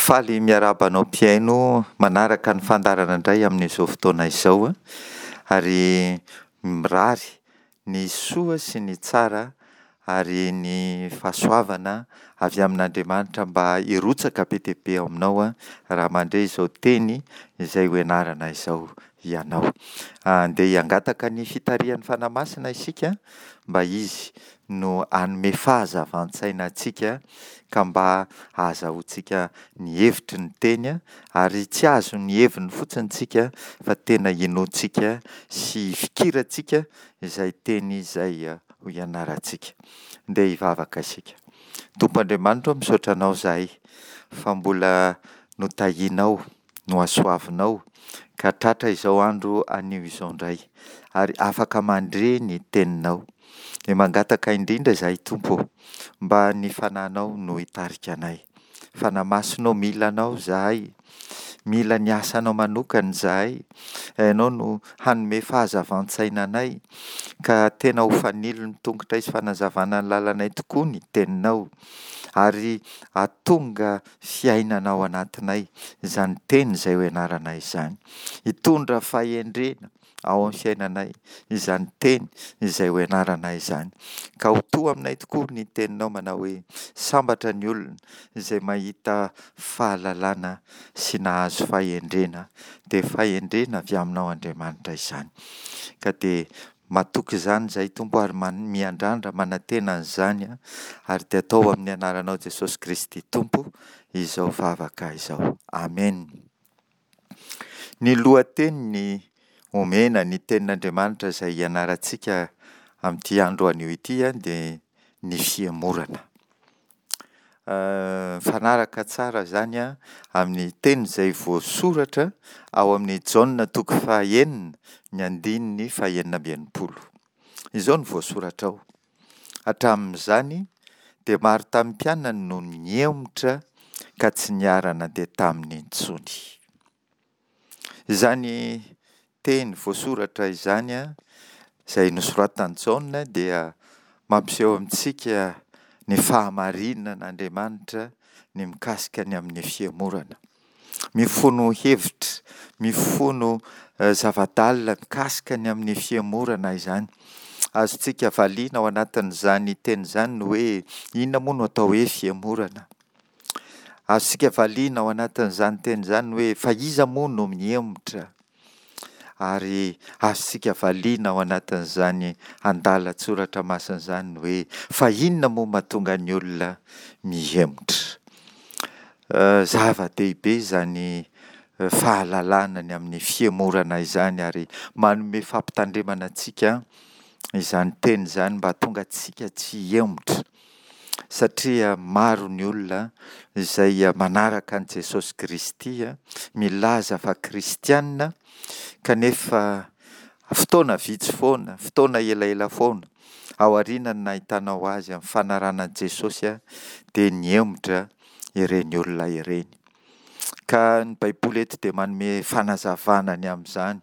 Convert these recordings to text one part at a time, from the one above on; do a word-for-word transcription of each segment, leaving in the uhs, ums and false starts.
Faly miarahaba anao mpihaino manaraka ny fandaharana indray amin'izao fotoana izao an, ary mirary ny soa sy ny tsara ary ny fahasoavana avy amin'Andriamanitra mba hirotsaka be dia be ao aminao an, raha mandre izao teny izay ho ianarana izao ianao. Andeha hangataka ny fitarihan'ny Fanahy Masina isika mba Izy no hanome fahazavan-tsaina antsika ka mba hahazahoantsika ny hevitry ny teny ary tsy hahazo ny heviny fotsiny isika fa tena hinoantsika sy hifikirantsika izay teny izay ho ianarantsika. Ndeha hivavaka isika. Tompo Andriamanitra ô, misaotra Anao izahay fa mbola notahianao, nohasoavinao ka tratra izao andro anio izao indray, ary afaka mandre ny Teninao. Dia mangataka indrindra izahay Tompo ô, mba ny Fanahinao no hitarika anay. Fanahy Masina ô, mila Anao izahay, mila ny asanao manokana izahay, Ianao no hanome fahazavan-tsaina anay, ka tena ho fanilo ny tongotray sy fanazavana ny lalanay tokoa ny Teninao, ary hahatonga fiainana ao anatinay izany teny izay ho ianaranay izany. Hitondra fahendrena ao amin'ny fiainanay izany teny izay ho ianaranay izany. Ka ho to aminay tokoa ny teninao manao hoe: sambatra ny olona izay mahita fahalalana sy nahazo fahendrena, dia fahendrena avy aminao Andriamanitra izany. Ka dia matoky izany izahay Tompo ary miandrandra manantena an'izany ary dia atao amin'ny anaranao Jesosy Kristy Tompo izao vavaka izao. Amen. Ny lohateny omena ny tenin'Andriamanitra izay hianarantsika amin'ity andro anio ity dia ny fihemorana. Mifanaraka tsara izany amin'ny teny izay voasoratra ao amin'ny Jaona toko fahenina ny andininy fahenina amby enimpolo. Izao no voasoratra ao: hatramin'izany dia maro tamin'ny mpianany no nihemotra ka tsy niara-nandeha taminy intsony. Izany teny voasoratra izany, izay nosoratan'i Jaona, dia mampiseho amintsika ny fahamarinan'Andriamanitra ny mikasika ny amin'ny fihemorana. Mifono hevitra, mifono zava-dalina mikasika ny amin'ny fihemorana izany. Azontsika valiana ao anatin'izany teny izany ny hoe inona moa no atao hoe fihemorana? Azontsika valiana ao anatin'izany teny izany ny hoe fa iza moa no mihemotra? Ary azontsika valiana ao anatin'izany andalan-tsoratra masina izany ny hoe fa inona moa mahatonga ny olona mihemotra? Zava-dehibe izany fahalalana ny amin'ny fihemorana izany ary manome fampitandremana antsika izany teny izany mba hahatonga antsika tsy hihemotra, satria maro ny olona izay manaraka an'i Jesosy Kristy, milaza fa kristiana, kanefa fotoana vitsy foana, fotoana elaela foana, aorian'ny nahitanao azy amin'ny fanarahana an'i Jesosy dia nihemotra ireny olona ireny. Ka ny Baiboly eto dia manome fanazavana ny amin'izany,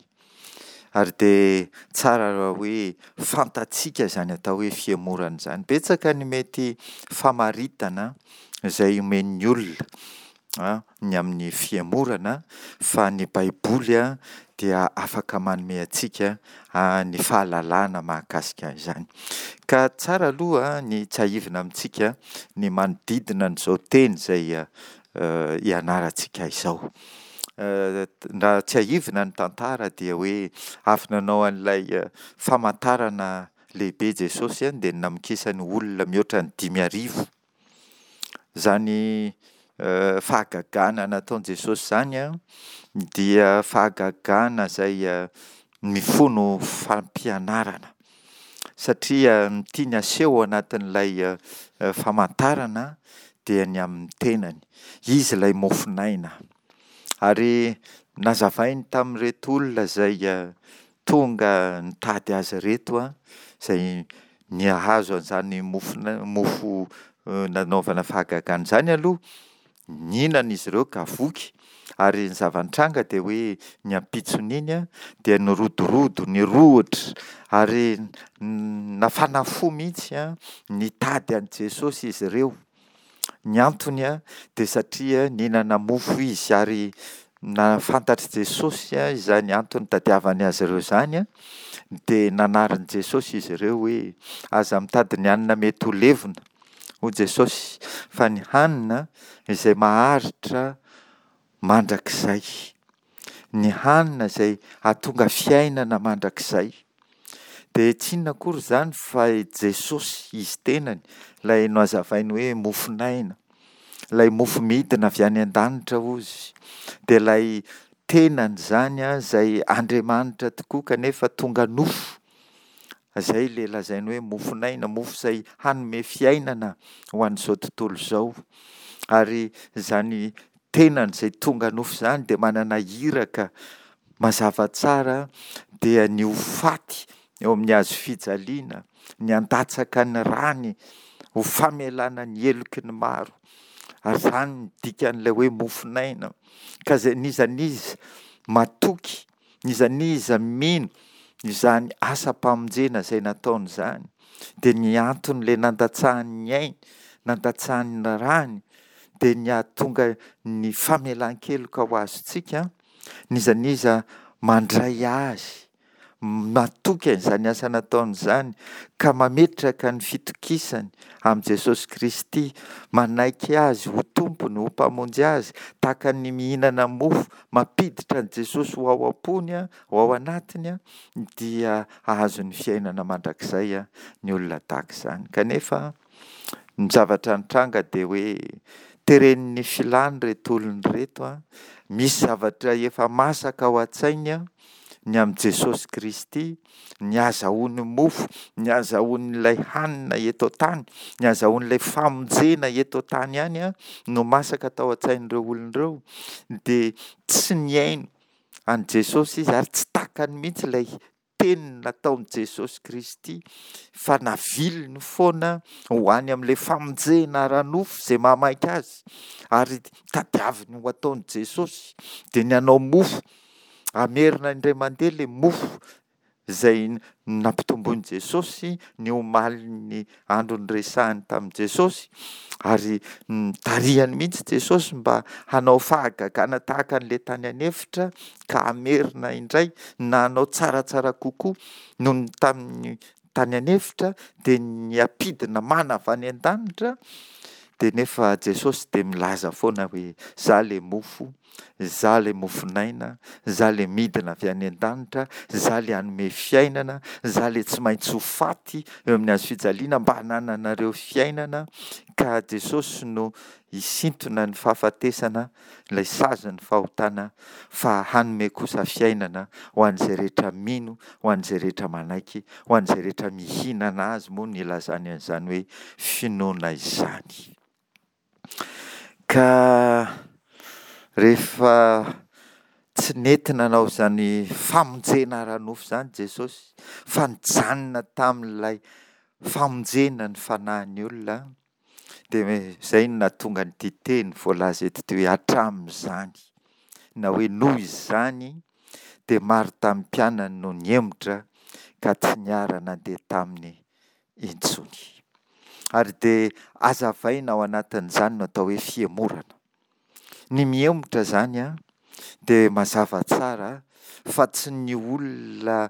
ary dia tsara raha hoe fantatsika izany atao hoe fihemorana izany. Betsaka ny mety famaritana izay omen'ny olona ny amin'ny fihemorana, fa ny Baiboly dia afaka manome antsika ny fahalalana mahakasika an'izany. Ka tsara aloha ny tsiahivina amintsika ny manodidina an'izao teny izay ianarantsika izao. Raha tsiahivina ny tantara dia hoe avy nanao an'ilay famantarana lehibe Jesosy dia namokisany olona mihoatra ny dimy arivo. Izany fahagagana nataon'i Jesosy izany dia fahagagana izay mifono fampianarana, satria ny tiany aseho ao anatin'ilay famantarana dia ny amin'ny tenany. Izy ilay mofon'aina. Ary nazavainy tamin'ireto olona izay tonga nitady azy ireto, izay nahazo an'izany mofona- mofo nanaovana fahagagana izany aloha, nihinana izy ireo ka voky, ary ny zava-nitranga dia hoe ny ampitson'iny dia nirodorodo, nirohotra ary nafana fo mihitsy nitady an'i Jesosy izy ireo. Ny antony an, dia satria nihinana mofo izy ary na fantatr'i Jesosy izany antony nitadiavany azy ireo izany an, dia nanarin'i Jesosy izy ireo hoe aza mitady ny hanina mety ho levona, hoy Jesosy, fa ny hanina izay maharitra mandrakizay. Ny hanina izay hahatonga fiainana mandrakizay. Dia tsy inona akory izany fa i Jesosy, Izy tenany, ilay nohazavainy hoe mofon'aina, ilay mofo midina avy any an-danitra hozy, dia ilay tenany izany an, izay Andriamanitra tokoa kanefa tonga nofo. Izay ilay lazainy hoe mofon'aina, mofo izay hanome fiainana ho an'izao tontolo izao. Ary izany tenany izay tonga nofo izany dia manana iraka mazava tsara, dia ny ho faty eo amin'ny hazo fijaliana, ny handatsaka ny rany ho famelana ny heloky ny maro. Ary izany no dikan'ilay hoe mofon'aina. Ka izay n'iza n'iza matoky, n'iza n'iza mino izany asam-pamonjena izay nataony izany, dia ny anton'ilay nandatsahany ny ainy, nandatsahany ny rany, dia ny hahatonga ny famelan-keloka ho azontsika, n'iza n'iza mandray azy, matoky an'izany asa nataony izany, ka mametraka ny fitokisany amin'i Jesosy Kristy, manaiky azy ho tompony, ho mpamonjy azy, tahaka ny mihinana mofo, mampiditra an'i Jesosy ho ao am-pony, ho ao anatiny, dia hahazo ny fiainana mandrakizay ny olona tahaka izany. Kanefa ny zavatra nitranga dia hoe teren'ny filany ireto olona ireto an, misy zavatra efa masaka ao an-tsainy an, ny amin'i Jesosy Kristy, ny hahazahoany mofo, ny hahazahoan'ilay hanina eto an-tany, ny hahazahoan'ilay famonjena eto an-tany ihany an, no masaka tao an-tsain'ireo olona ireo, dia tsy nihaino an'i Jesosy izy ary tsy takany mihitsy ilay teny nataon'i Jesosy Kristy fa naviliny foana ho any amin'ilay famonjena ara-nofo izay mahamaika azy ary tadiaviny ho ataon'i Jesosy dia ny hanao mofo, hamerina indray mandeha ilay mofo izay nampitomboin'i Jesosy ny omalin'ny andro niresahany tamin'i Jesosy ary nitarihany mihitsy Jesosy mba hanao fahagagana tahaka an'ilay tany an'efitra ka hamerina indray na hanao tsaratsara kokoa noho ny tamin'ny tany an'efitra dia ny hampidina mana avy any an-danitra. Dia nefa Jesosy dia milaza foana hoe za le mofo, za le mofon'aina, za le midina avy any an-danitra, za le hanome fiainana, za le tsy maintsy ho faty eo amin'ny hazo fijaliana mba hanananareo fiainana. Ka Jesosy no hisintona ny fahafatesana, ilay sazin'ny fahotana, fa hanome kosa fiainana ho an'izay rehetra mino, ho an'izay rehetra manaiky, ho an'izay rehetra mihinana azy moa no ilazany an'izany hoe finoana izany. Ka rehefa tsy nety nanao izany famonjena ara-nofo izany Jesosy, fa nijanona tamin'ilay famonjena ny fanahin'ny olona, dia izay no nahatonga an'ity teny voalaza eto ity hoe hatramin'izany, na hoe noho izany dia maro tamin'ny mpianany no nihemotra ka tsy niara-nandeha taminy intsony. Ary dia hazavaina ao anatin'izany no atao hoe fihemorana. Ny mihemotra izany an, dia mazava tsara fa tsy ny olona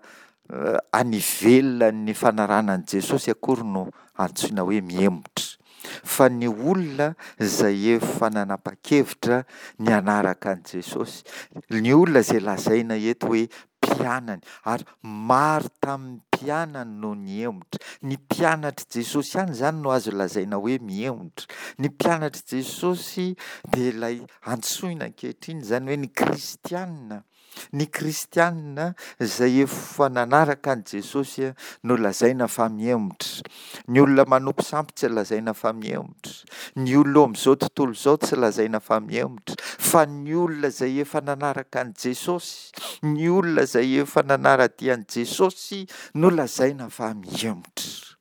any ivelan'ny fanarahana an'i Jesosy akory no antsoina hoe mihemotra, fa ny olona izay efa nanapa-kevitra ny hanaraka an'i Jesosy, ny olona izay lazaina eto hoe mpianany, ary maro tamin'ny mpianany no nihemotra. Ny mpianatr'i Jesosy ihany izany no azo lazaina hoe mihemotra. Ny mpianatr'i Jesosy dia ilay antsoina ankehitriny izany hoe ny kristiana. Ny kristiana izay efa nanaraka an'i Jesosy no lazaina fa mihemotra. Ny olona manompo sampy tsy lazaina fa mihemotra. Ny olona eo amin'izao tontolo izao tsy lazaina fa mihemotra. Fa ny olona izay efa nanaraka an'i Jesosy, ny olona izay efa nanara-dia an'i Jesosy no lazaina fa mihemotra.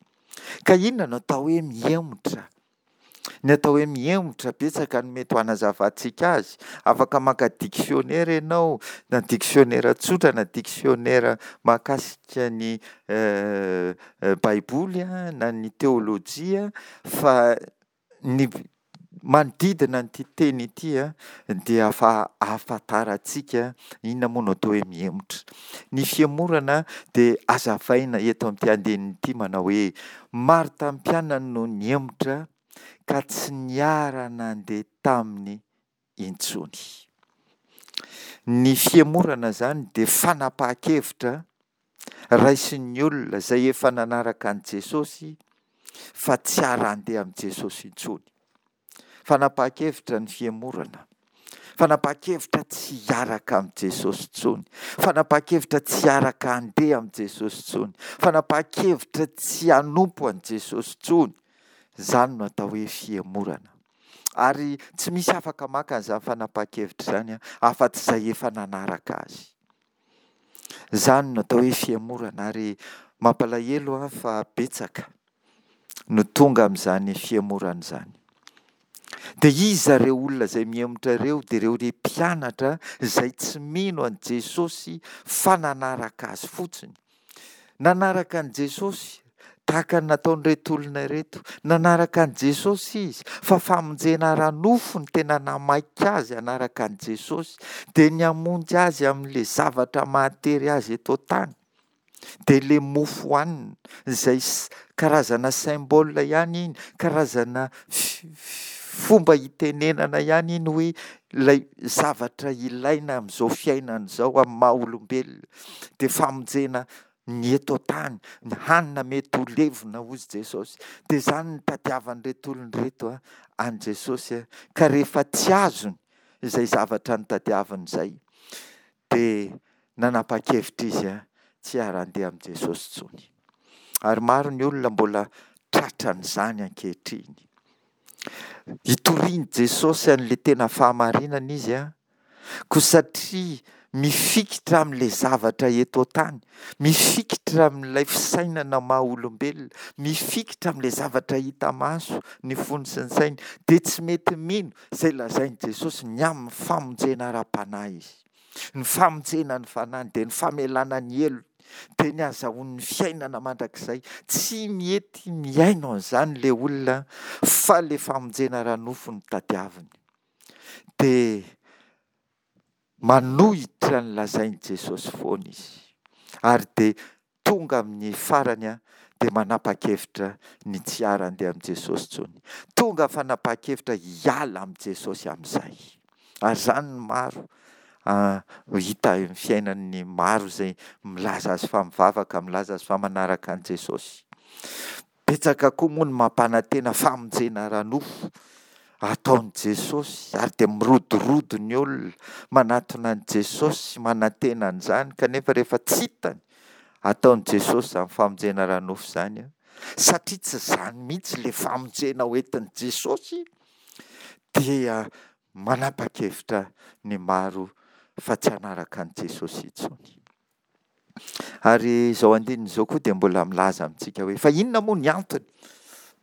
Ka inona no atao hoe mihemotra? Ny atao hoe mihemotra, betsaka no mety ho hanazavantsika azy. Afaka maka diksionera ianao, na diksionera tsotra na diksionera mahakasika ny Baiboly na ny teolojia, fa ny manodidina an'ity teny ity dia efa ahafantarantsika inona moa no atao hoe mihemotra. Ny fihemorana dia hazavaina eto amin'ity andininy ity manao hoe maro tamin'ny mpianany no nihemotra ka tsy niara-nandeha taminy intsony. Ny fihemorana izany dia fanapahan-kevitra raisin'ny olona izay efa nanaraka an'i Jesosy fa tsy hara-handeha amin'i Jesosy intsony. Fanapahan-kevitra ny fihemorana. Fanapahan-kevitra tsy hiaraka amin'i Jesosy intsony. Fanapahan-kevitra tsy hiaraka handeha amin'i Jesosy intsony. Fanapahan-kevitra tsy hanompo an'i Jesosy intsony. Izany no atao hoe fihemorana. Ary tsy misy afaka maka an'izany fanapahan-kevitra izany afa-tsy izay efa nanaraka azy. Izany no atao hoe fihemorana ary mampalahelo aho fa betsaka no tonga amin'izany fihemorana izany. Dia iza ireo olona izay mihemotra ireo? Dia ireo ry mpianatra izay tsy mino an'i Jesosy fa nanaraka azy fotsiny. Nanaraka an'i Jesosy tahaka ny nataon'ireto olona ireto. Nanaraka an'i Jesosy izy fa famonjena ara-nofo no tena namaika azy hanaraka an'i Jesosy. Dia ny hamonjy azy amin'ilay zavatra mahatery azy eto an-tany. Dia ilay mofo hohanina izay karazana symbole ihany iny, karazana fomba hitenenana ihany iny hoe ilay zavatra ilaina amin'izao fiainana izao amin'ny maha olombelona. Dia famonjena ny eto an-tany, ny hanina mety ho levona hozy Jesosy. Dia izany no tadiavan'ireto olona ireto an'i Jesosy. Ka rehefa tsy azony izay zavatra notadiaviny izay, dia nanapa-kevitra izy tsy hiara-handeha amin'i Jesosy intsony. Ary maro ny olona mbola tratran'izany ankehitriny. Itorian'i Jesosy an'ilay tena fahamarinana izy an, koa satria mifikitra amin'ilay zavatra eto an-tany, mifikitra amin'ilay fisainana maha olombelona, mifikitra amin'ilay zavatra hita maso ny fony sy ny sainy, dia tsy mety mino izay lazain'i Jesosy ny amin'ny famonjena ara-panahy izy. Ny famonjena ny fanahiny dia ny famelana ny helony, dia ny ahazahoany ny fiainana mandrakizay. Tsy mety mihaino an'izany ilay olona fa ilay famonjena ara-nofo no tadiaviny. Dia manohitra ny lazain'i Jesosy foana izy. Ary dia tonga amin'ny farany dia manapa-kevitra ny tsy hiara-handeha amin'i Jesosy intsony. Tonga fanapahan-kevitra hiala amin'i Jesosy amin'izay. Ary izany no maro hita eo amin'ny fiainan'ny maro izay milaza azy fa mivavaka, milaza azy fa manaraka an'i Jesosy. Betsaka koa moa ny mampanantena famonjena ara-nofo ataon'i Jesosy ary dia mirodorodo ny olona manatona an'i Jesosy manantena an'izany kanefa rehefa tsy hitany ataon'i Jesosy izany famonjena ara-nofo izany satria tsy izany mihitsy ilay famonjena hoentin'i Jesosy dia manapa-kevitra ny maro fa tsy hanaraka an'i Jesosy intsony. Ary izao andininy izao koa dia mbola milaza amintsika hoe fa inona moa ny antony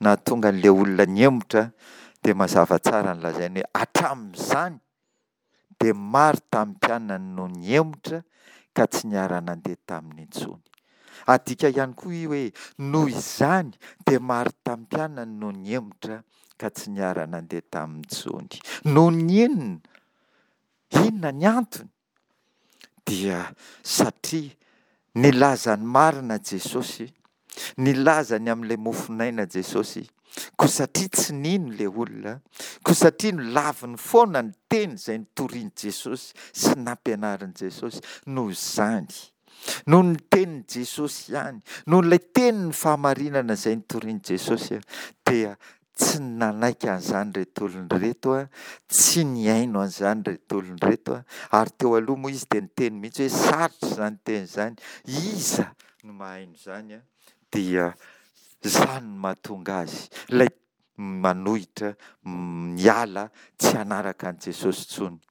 nahatonga an'ilay olona nihemotra? Dia mazava tsara ny lazainy hoe hatramin'izany dia maro tamin'ny mpianany no nihemotra ka tsy niara-nandeha taminy intsony. Adika ihany koa io hoe noho izany dia maro tamin'ny mpianany no nihemotra ka tsy niara-nandeha taminy intsony. Noho ny inona? Inona ny antony? Dia satria nilaza ny marina Jesosy, nilaza ny amin'ilay mofon'aina Jesosy, koa satria tsy nino ilay olona, koa satria nolaviny foana ny teny izay notorian'i Jesosy sy nampianarin'i Jesosy, noho izany, noho ny tenin'i Jesosy ihany, noho ilay tenin'ny fahamarinana izay notorian'i Jesosy, dia tsy nanaiky an'izany ireto olona ireto, tsy nihaino an'izany ireto olona ireto, ary teo aloha moa izy dia niteny mihitsy hoe sarotra izany teny izany, iza no mahaino izany? Dia izany no mahatonga azy, ilay manohitra, miala, tsy hanaraka an'i Jesosy intsony.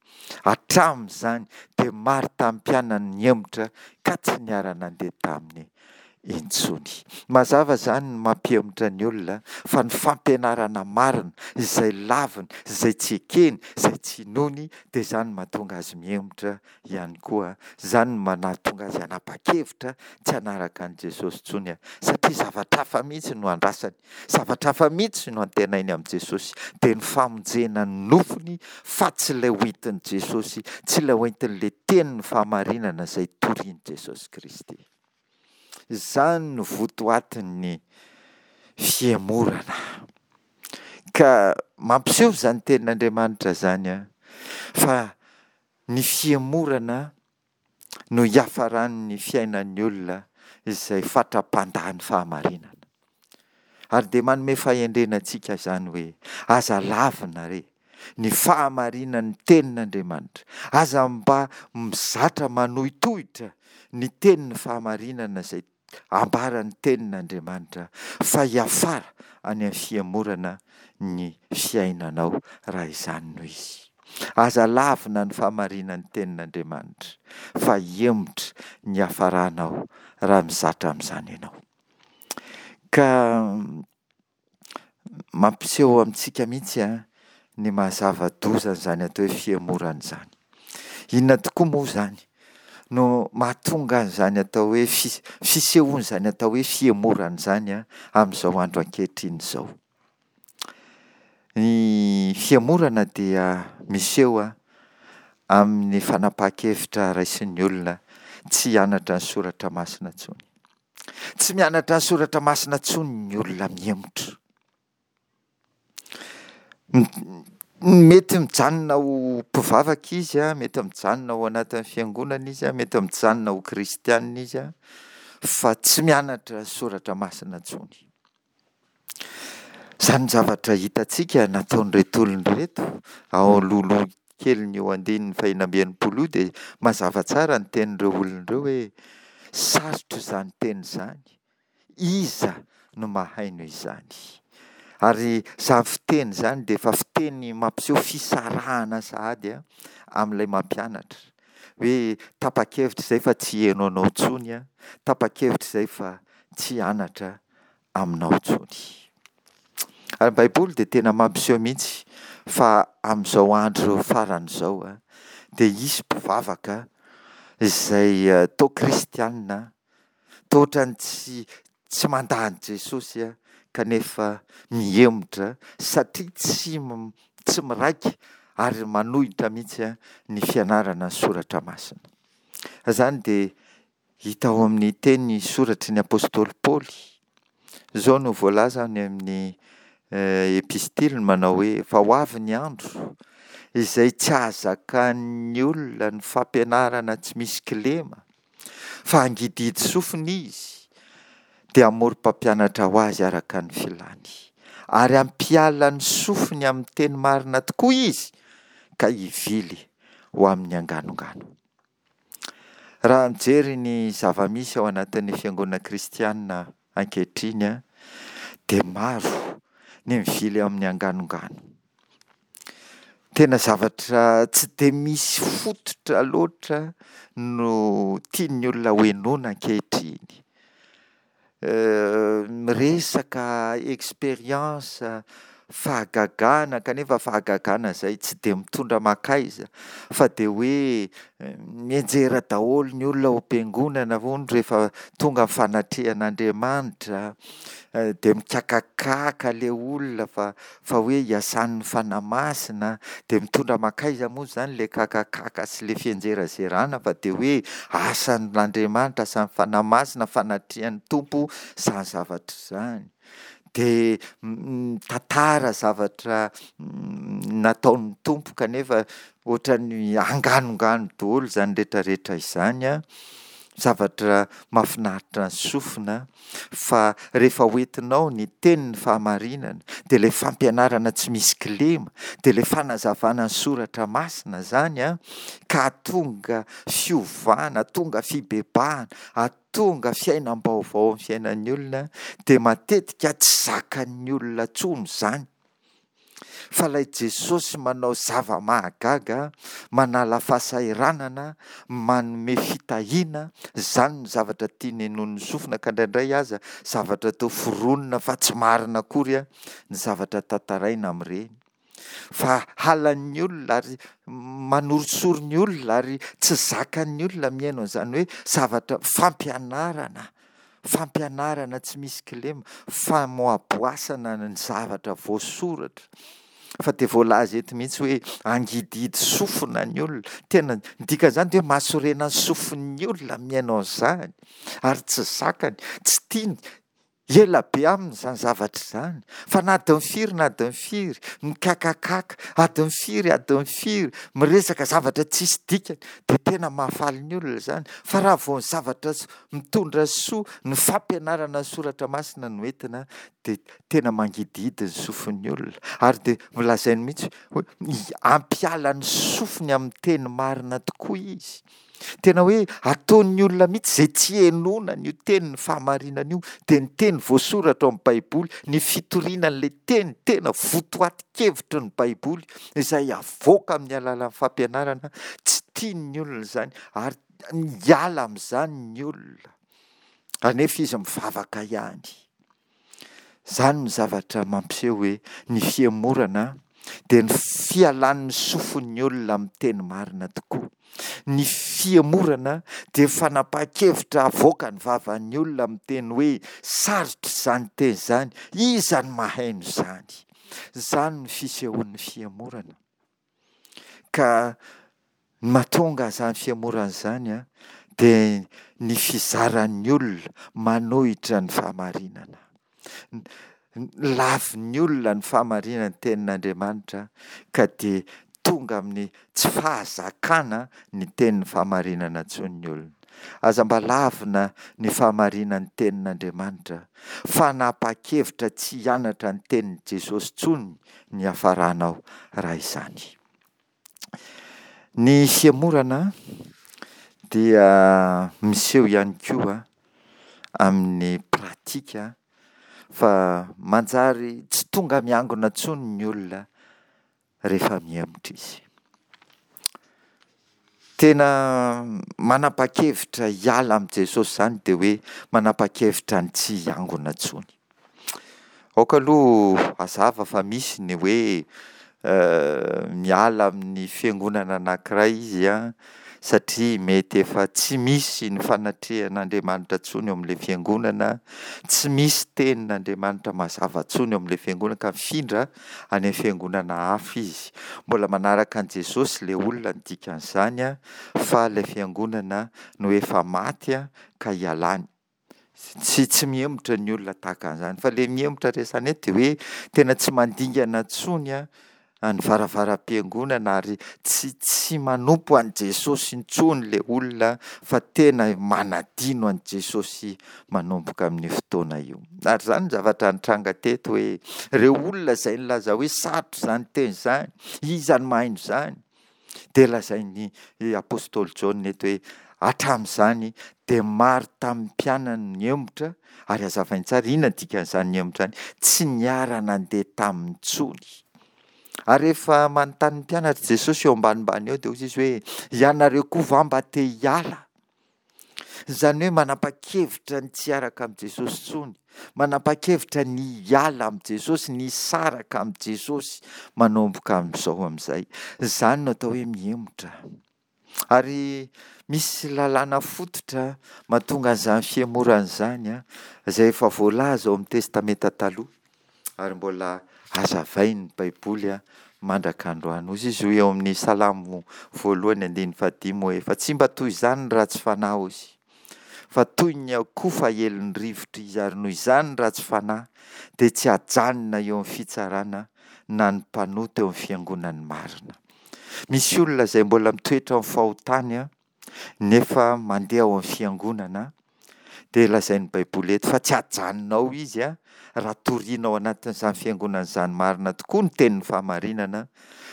Hatramin'izany dia maro tamin'ny mpianany nihemotra ka tsy niara-nandeha taminy intsony. Mazava izany ny mampihemotra ny olona fa ny fampianarana marina izay laviny, izay tsy ekeny, izay tsy inoany dia izany no mahatonga azy mihemotra ihany koa. Izany no mahatonga azy hanapa-kevitra tsy hanaraka an'i Jesosy intsony, satria zavatra hafa mihitsy no andrasany, zavatra hafa mihitsy no antenainy amin'i Jesosy, dia ny famonjena ny nofony fa tsy ilay hoentin'i Jesosy, tsy ilay hoentin'ilay tenin'ny fahamarinana izay torian'i Jesosy Kristy. Izany no votoatin'ny fihemorana. Ka mampiseho izany tenin'Andriamanitra izany fa ny fihemorana no hiafaran'ny fiainan'ny olona izay fatra-pandà ny fahamarinana. Ary dia manome fahendrena antsika izany hoe aza lavina re ny fahamarinan'ny tenin'Andriamanitra. Aza mba mizatra manohitohitra ny tenin'ny fahamarinana izay ambaran'ny tenin'Andriamanitra fa hiafara any amin'ny fihemorana ny fiainanao raha izany no izy. Aza lavina ny fahamarinan'ny tenin'Andriamanitra fa hihemotra ny hiafaranao raha mizatra amin'izany ianao. Ka mampiseho amintsika mihitsy ny maha zava-doza an'izany atao hoe fihemorana izany. Inona tokoa moa izany no mahatonga an'izany atao hoe fisehoan'izany atao hoe fihemorana izany amin'izao andro ankehitriny izao? Ny fihemorana dia miseho amin'ny fanapahan-kevitra raisin'ny olona tsy hianatra ny soratra masina intsony. Tsy mianatra ny soratra masina intsony ny olona mihemotra. Mety mijanona ho mpivavaka izy, mety mijanona ao anatin'ny fiangonana izy, mety mijanona ho kristianina izy, fa tsy mianatra ny soratra masina intsony. Izany zavatra hitantsika nataon'ireto olona ireto ao alohaloha kelin'io andininy fahenina amby enimpolo io dia mazava tsara ny tenin'ireo olona ireo hoe sarotra izany teny izany, iza no mahaino izany? Ary izany fiteny izany dia efa fiteny mampiseho fisarahana sahady amin'ilay mampianatra. Hoe tapa-kevitra izay fa tsy hiheno anao intsony aho, tapa-kevitra izay fa tsy hianatra aminao intsony. Ary ny Baiboly dia tena mampiseho mihitsy fa amin'izao andro farany izao dia hisy mpivavaka izay toa kristianina, toa ohatran'ny tsy, tsy mandà an'i Jesosy kanefa mihemotra satria tsy, tsy miraika ary manohitra mihitsy ny fianarana ny soratra masina. Izany dia hita ao amin'ny teny soratry ny apostoly Paoly. Izao no voalaza any amin'ny epistiliny manao hoe fa ho avy ny andro izay tsy hahazakan'ny olona ny fampianarana tsy misy kilema fa hangidihidy sofina izy dia hamorom-pampianatra ho azy araka ny filany ary hampiala ny sofiny amin'ny teny marina tokoa izy ka hivily ho amin'ny anganongano. Raha mijery ny zava-misy ao anatin'ny fiangonana kristiana ankehitriny dia maro ny mivily amin'ny anganongano. Tena zavatra tsy dia misy fototra loatra no tian'ny olona ho henoina ankehitriny. Miresaka expérience, fahagagana kanefa fahagagana izay tsy dia mitondra mankaiza fa dia hoe mianjera daholo ny olona ao am-piangonana hono rehefa tonga ny fanatrehan'Andriamanitra, dia mikakakaka ilay olona fa, fa hoe iasan'ny Fanahy Masina, dia mitondra mankaiza moa izany ilay kakakaka sy ilay fianjerazerana fa dia hoe asan'Andriamanitra, asan'ny Fanahy Masina, fanatrehan'ny Tompo izany zavatra izany. Dia mitantara zavatra nataon'ny Tompo kanefa ohatran'ny anganongano daholo izany rehetrarehetra izany an, zavatra mahafinaritra ny sofina fa rehefa hoentinao ny tenin'ny fahamarinana dia ilay fampianarana tsy misy kilema, dia ilay fanazavana ny soratra masina izany an, ka hahatonga fiovana, hahatonga fibebahana, hahatonga fiainam-baovao amin'ny fiainan'ny olona dia matetika tsy zakan'ny olona intsony izany. Fa ilay Jesosy manao zava-mahagaga, manala fahasahiranana, manome fitahiana, izany no zavatra tiany henoin'ny sofina ka indraindray aza zavatra toa foronina fa tsy marina akory ny zavatra tantaraina amin'ireny. Fa halan'ny olona ary manorisory ny olona ary tsy zakan'ny olona mihaino an'izany hoe zavatra fampianarana, fampianarana tsy misy kilema, famoaboasana ny zavatra voasoratra. Fa dia voalaza eto mihitsy hoe hangidihidy sofina ny olona. Tena, ny dikan'izany dia hoe mahasorena ny sofin'ny olona mihaino an'izany ary tsy zakany, tsy tiany, ela be aminy izany zavatra izany. Fa na adiny firy na adiny firy, mikakakaka, adiny firy adiny firy, miresaka zavatra tsisy dikany, dia tena mahafaly ny olona izany. Fa raha vao ny zavatra mitondra soa, ny fampianarana ny soratra masina no entina, dia tena mangidihidy ny sofin'ny olona. Ary dia nolazainy mihitsy hoe hampiala ny sofiny amin'ny teny marina tokoa izy. Tena hoe ataon'ny olona mihitsy izay tsy henoana an'io tenin'ny fahamarinana io, dia ny teny voasoratra ao amin'ny Baiboly, ny fitoriana an'ilay teny tena votoatin-kevitry ny Baiboly, izay avoaka amin'ny alalan'ny fampianarana, tsy tian'ny olona izany ary miala amin'izany ny olona. Anefa izy mivavaka ihany. Izany no zavatra mampiseho hoe ny fihemorana dia ny fialan'ny sofin'ny olona amin'ny teny marina tokoa. Ny fihemorana dia fanapahan-kevitra avoakan'ny vavan'ny olona amin'ny teny hoe sarotra izany teny izany, iza no mahaino izany? Izany no fisehoan'ny fihemorana. Ka ny mahatonga izany fihemorana izany dia ny fizaran'ny olona manohitra ny fahamarinana. Lavin'ny olona ny fahamarinan'ny tenin'Andriamanitra ka dia tonga amin'ny tsy fahazakana ny tenin'ny fahamarinana intsony ny olona. Aza mba lavina ny fahamarinan'ny tenin'Andriamanitra. Fanapa-kevitra tsy hianatra ny tenin'i Jesosy intsony ny hiafaranao raha izany. Ny fihemorana dia miseho ihany koa amin'ny pratika fa manjary tsy tonga miangona intsony ny olona rehefa mihemotra izy. Tena manapa-kevitra hiala amin'i Jesosy izany dia hoe manapa-kevitra ny tsy hiangona intsony. Aoka aloha hazava fa misy ny hoe miala amin'ny fiangonana anankiray izy an, satria mety efa tsy misy ny fanatrehan'Andriamanitra intsony eo amin'ilay fiangonana, tsy misy tenin'Andriamanitra mazava intsony eo amin'ilay fiangonana ka mifindra any amin'ny fiangonana hafa izy. Mbola manaraka an'i Jesosy ilay olona ny dikan'izany an, fa ilay fiangonana no efa maty ka ialany. Tsy tsy mihemotra ny olona tahaka an'izany. Fa ilay mihemotra resahina eto dia hoe tena tsy mandingana intsony ny varavaram-piangonana ary tsy tsy manompo an'i Jesosy intsony ilay olona fa tena manadino an'i Jesosy manomboka amin'io fotoana io. Ary izany ny zavatra nitranga teto hoe ireo olona izay nilaza hoe sarotra izany teny izany, iza no mahaino izany? Dia lazain'ny apostoly Jaona eto hoe hatramin'izany dia maro tamin'ny mpianany nihemotra, ary hazavainy tsara inona ny dikan'izany nihemotra izany, tsy niara-nandeha taminy intsony. Ary rehefa manontany ny mpianatra Jesosy eo ambanimbany eo dia hoy izy hoe ianareo koa va mba te hiala? Izany hoe manapa-kevitra ny tsy hiaraka amin'i Jesosy intsony, manapa-kevitra ny hiala amin'i Jesosy, ny hisaraka amin'i Jesosy manomboka amin'izao amin'izay. Izany no atao hoe mihemotra. Ary misy lalàna fototra mahatonga an'izany fihemorana izany, izay efa voalaza ao amin'ny Testamenta Taloha ary mbola hazavain'ny Baiboly mandraka androany. Hoy izy eo amin'ny Salamo voalohany andininy fahadimy hoe fa tsy mba toy izany ny ratsy fanahy hozy, fa toy ny akofa aelin'ny rivotra izy, ary noho izany ny ratsy fanahy dia tsy hajanona eo amin'ny fitsarana na ny mpanota eo amin'ny fiangonan'ny marina. Misy olona izay mbola mitoetra amin'ny fahotany nefa mandeha ao amin'ny fiangonana, Dia lazain'ny Baiboly eto fa tsy hajanona ao izy an, raha toriana ao anatin'izany fiangonana izany marina tokoa ny tenin'ny fahamarinana,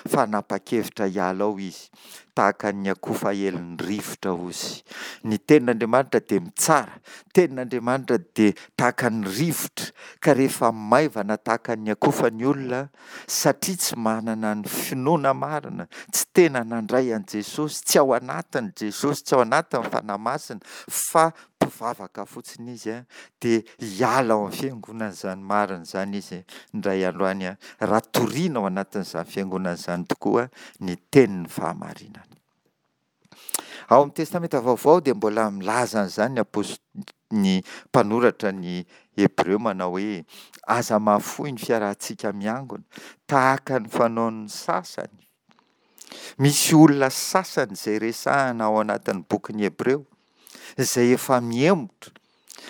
fa hanapa-kevitra hiala ao izy, tahaka ny akofa aelin'ny rivotra hozy. Ny tenin'Andriamanitra dia mitsara, ny tenin'Andriamanitra dia tahaka ny rivotra, ka rehefa maivana tahaka ny akofa ny olona, satria tsy manana ny finoana marina, tsy tena nandray an'i Jesosy, tsy ao anatiny Jesosy, tsy ao anatin'ny Fanahy Masina, fa mpivavaka fotsiny izy, dia hiala ao amin'ny fiangonana izany marina izany izy indray andro any, raha toriana ao anatin'izany fiangonana izany tokoa ny tenin'ny fahamarinana. Ao amin'ny Testamenta Vaovao dia mbola milaza an'izany ny apôst-, ny mpanoratra ny Hebreo manao hoe aza mahafoy ny fiarahantsika miangona tahaka ny fanaon'ny sasany. Misy olona sasany izay resahina ao anatin'ny bokin'ny Hebreo izay efa mihemotra,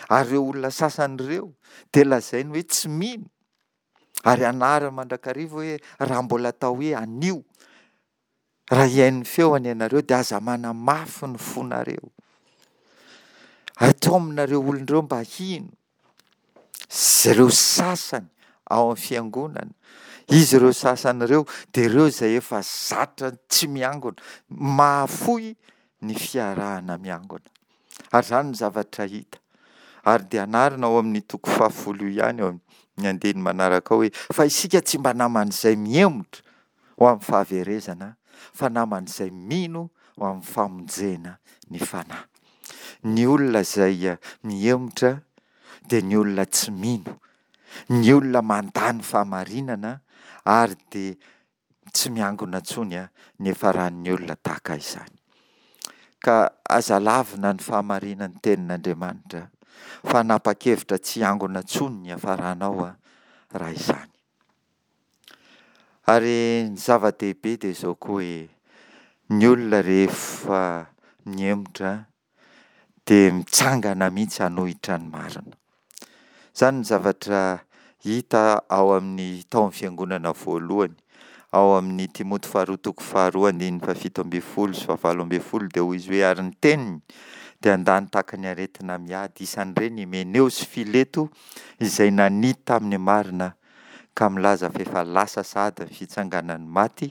ary ireo olona sasany ireo dia lazainy hoe tsy mino, ary anariny mandrakariva hoe raha mbola atao hoe anio, raha hihaino ny feony ianareo dia aza manamafy ny fonareo. Ataominareo olona ireo mba hino. Ireo sasany ao amin'ny fiangonana, izy ireo sasany ireo dia ireo izay efa zatra tsy miangona, mahafoy ny fiarahana miangona. Ary izany no zavatra hita. Ary dia anarina ao amin'ny toko fahafolo io ihany, ao amin'ny andininy manaraka ao hoe fa isika tsy mba naman'izay mihemotra ho amin'ny fahaverezana, fa naman'izay mino ho amin'ny famonjena ny fanahy. Ny olona izay mihemotra dia ny olona tsy mino, ny olona mandà ny fahamarinana ary dia tsy miangona intsony ny hiafaran'ny olona tahaka izany. Ka aza lavina ny fahamarinan'ny tenin'Andriamanitra, fa hanapa-kevitra tsy hiangona intsony ny hiafaranao raha izany. Ary ny zava-dehibe dia izao koa hoe, ny olona rehefa mihemotra dia mitsangana mihitsy hanohitra ny marina. Izany ny zavatra hita ao amin'ny tao amin'ny fiangonana voalohany. Ao amin'ny Timoty faharoa toko faharoa andininy fahafito ambin'ny folo sy fahavalo ambin'ny folo dia hoy izy hoe ary ny teniny dia handany tahaka ny aretina miady, isan'ireny Hymeneo sy Fileto izay nania tamin'ny marina ka milaza fa efa lasa sahady ny fitsanganan'ny maty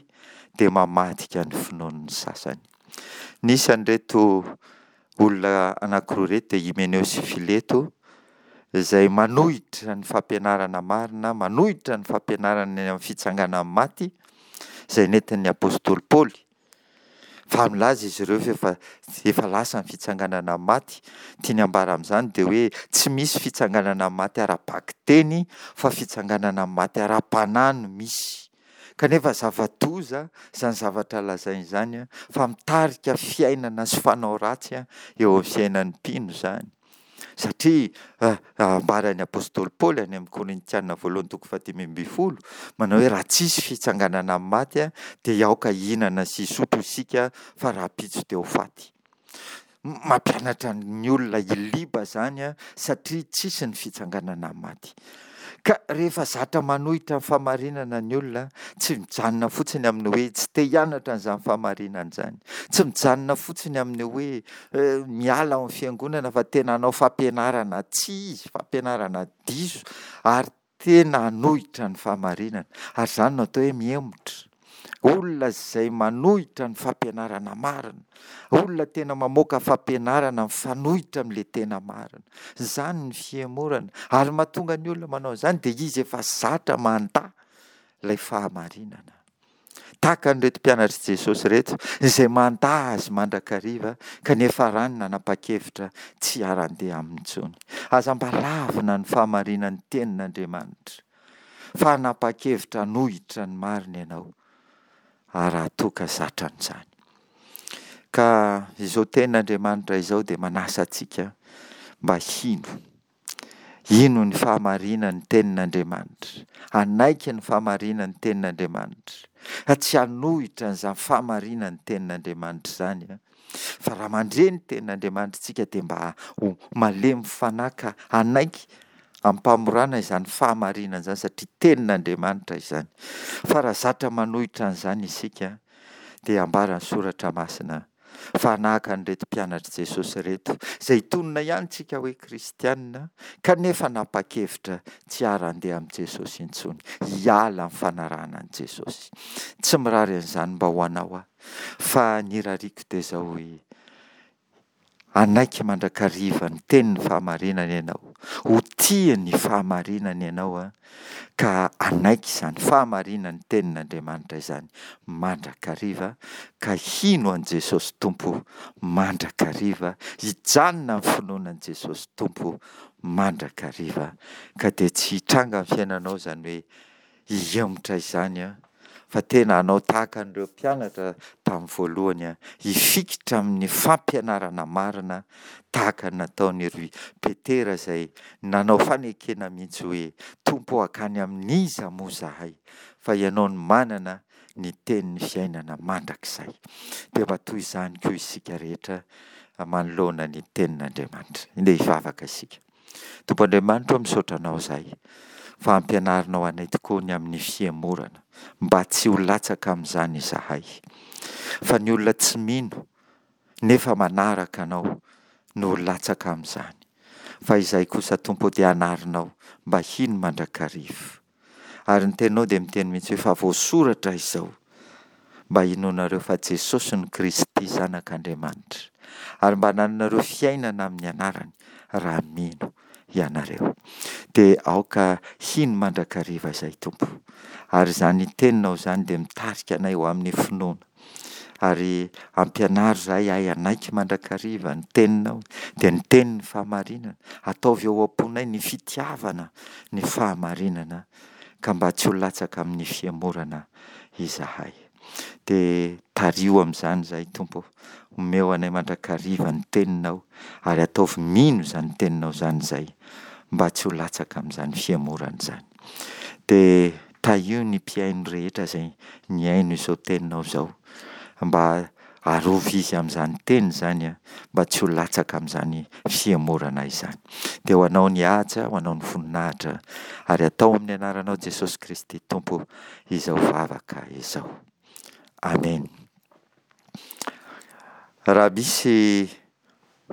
dia mamadika ny finoan'ny sasany. Nisy an'ireto olona anankiroa ireto dia Hymeneo sy Fileto izay manohitra ny fampianarana marina, manohitra ny fampianarana ny amin'ny fitsanganan'ny maty izay nentin'ny apostoly Paoly. Fa milaza izy ireo fa efa, efa lasa ny fitsanganana amin'ny maty. Tiany ambara amin'izany dia hoe tsy misy fitsanganana amin'ny maty ara-bakiteny fa fitsanganana amin'ny maty ara-panahy no misy. Kanefa zava-doza izany zavatra lazainy izany fa mitarika fiainana sy fanao ratsy eo amin'ny fiainan'ny mpino izany. Satria ambaran'ny apostoly Paoly any amin'ny Korintiana voalohany toko fahadimy ambin'ny folo manao hoe raha tsisy fitsanganana amin'ny maty dia aoka hihinana sy hisotro isika fa rahampitso dia ho faty. Mampianatra ny olona hiliba izany satria tsisy ny fitsanganana amin'ny maty. Ka rehefa zatra manohitra ny fahamarinana ny olona, tsy mijanona fotsiny amin'ny hoe tsy te hianatra an'izany fahamarinana izany, tsy mijanona fotsiny amin'ny hoe miala ao amin'ny fiangonana fa tena hanao fampianarana tsy izy, fampianarana diso ary tena hanohitra ny fahamarinana. Ary izany no atao hoe mihemotra. Olona izay manohitra ny fampianarana marina. Olona tena mamoaka fampianarana mifanohitra amin'ilay tena marina. Izany ny fihemorana. Ary mahatonga ny olona manao an'izany dia izy efa zatra mandà ilay fahamarinana. Tahaka an'ireto mpianatr'i Jesosy ireto izay mandà azy mandrakariva kanefa rany nanapa-kevitra tsy hiara-handeha aminy intsony. Aza mba lavina ny fahamarinan'ny tenin'Andriamanitra fa hanapa-kevitra hanohitra ny marina ianao raha toa ka zatra an'izany. Ka izao tenin'Andriamanitra izao dia manasa antsika mba hino. Hino ny fahamarinan'ny tenin'Andriamanitra. Hanaiky ny fahamarinan'ny tenin'Andriamanitra. Fa tsy hanohitra an'izany fahamarinan'ny tenin'Andriamanitra izany. Fa raha mandre ny tenin'Andriamanitra isika dia mba ho malemy fanahy ka hanaiky am-pamorana izany fahamarinana izany satria tenin'Andriamanitra izany. Fa raha zatra manohitra an'izany isika dia ambaran'ny soratra masina Fa hanahaka an'ireto mpianatr'i Jesosy ireto, izay tonona ihany tsika hoe kristiana, kanefa nanapa-kevitra tsy hiara-handeha amin'i Jesosy intsony, hiala amin'ny fanarahana an'i Jesosy. Tsy mirary an'izany mba ho anao aho, fa ny irariako dia izao hoe, hanaiky mandrakariva ny tenin'ny fahamarinana ianao, ho tia ny fahamarinana ianao an, ka hanaiky izany fahamarinan'ny tenin'Andriamanitra izany mandrakariva, ka hino an'i Jesosy Tompo mandrakariva, hijanona amin'ny finoana an'i Jesosy Tompo mandrakariva, ka dia tsy hitranga amin'ny fiainanao izany hoe hihemotra izany an, fa tena hanao tahaka an'ireo mpianatra tamin'ny voalohany an, hifikitra amin'ny fampianarana marina tahaka ny nataon'i ry Petera izay nanao fanekena mihitsy hoe Tompo ô hankany amin'iza moa izahay fa ianao no manana ny tenin'ny fiainana mandrakizay. Dia mba toy izany koa isika rehetra manoloana ny tenin'Andriamanitra. Ndeha hivavaka isika. Tompo Andriamanitra ô, misaotra anao izahay fa ampianarinao anay tokoa ny amin'ny fihemorana, mba tsy ho latsaka amin'izany izahay. Fa ny olona tsy mino nefa manaraka anao no ho latsaka amin'izany. Fa izahay kosa Tompo ô dia anarinao mba hino mandrakariva. Ary ny teninao dia miteny mihitsy hoe fa voasoratra izao mba hinoanareo fa Jesosy no Kristy Zanak'Andriamanitra, ary mba hanananareo fiainana amin'ny anarany raha mino ianareo. Dia aoka hino mandrakariva izay Tompo. Ary izany teninao izany dia mitarika anay ho amin'ny finoana. Ary ampianaro izahay hahay hanaiky mandrakariva ny teninao, dia ny tenin'ny fahamarinana. Ataovy ao am-ponay ny fitiavana ny fahamarinana, ka mba tsy ho latsaka amin'ny fihemorana izahay. Dia tariho amin'izany izahay Tompo ô. Omeo anay mandrakariva ny teninao, ary ataovy mino izany teninao izany izahay, mba tsy ho latsaka amin'izany fihemorana izany. Dia tahio ny mpihaino rehetra izay nihaino izao teninao izao, mba arovy izy amin'izany teny izany an, mba tsy ho latsaka amin'izany fihemorana izany. Dia ho anao ny haja, ho anao ny voninahitra, ary atao amin'ny anaranao Jesosy Kristy Tompo izao vavaka izao. Amen. Raha misy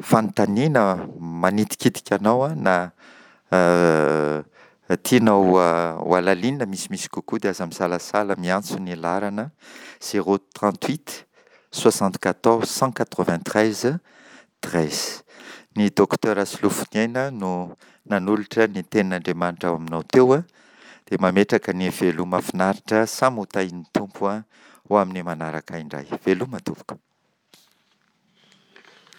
fanontaniana manitikitika anao na tianao ho halalinina misimisy kokoa dia aza misalasala miantso ny laharana zéro trente huit soixante quatorze cent quatre vingt treize treize. Ny docteur Solofoniaina no nanolotra ny tenin'Andriamanitra ao aminao teo dia mametraka ny veloma finaritra samy ho tahin'ny Tompo ho amin'ny manaraka indray. Veloma tompoko.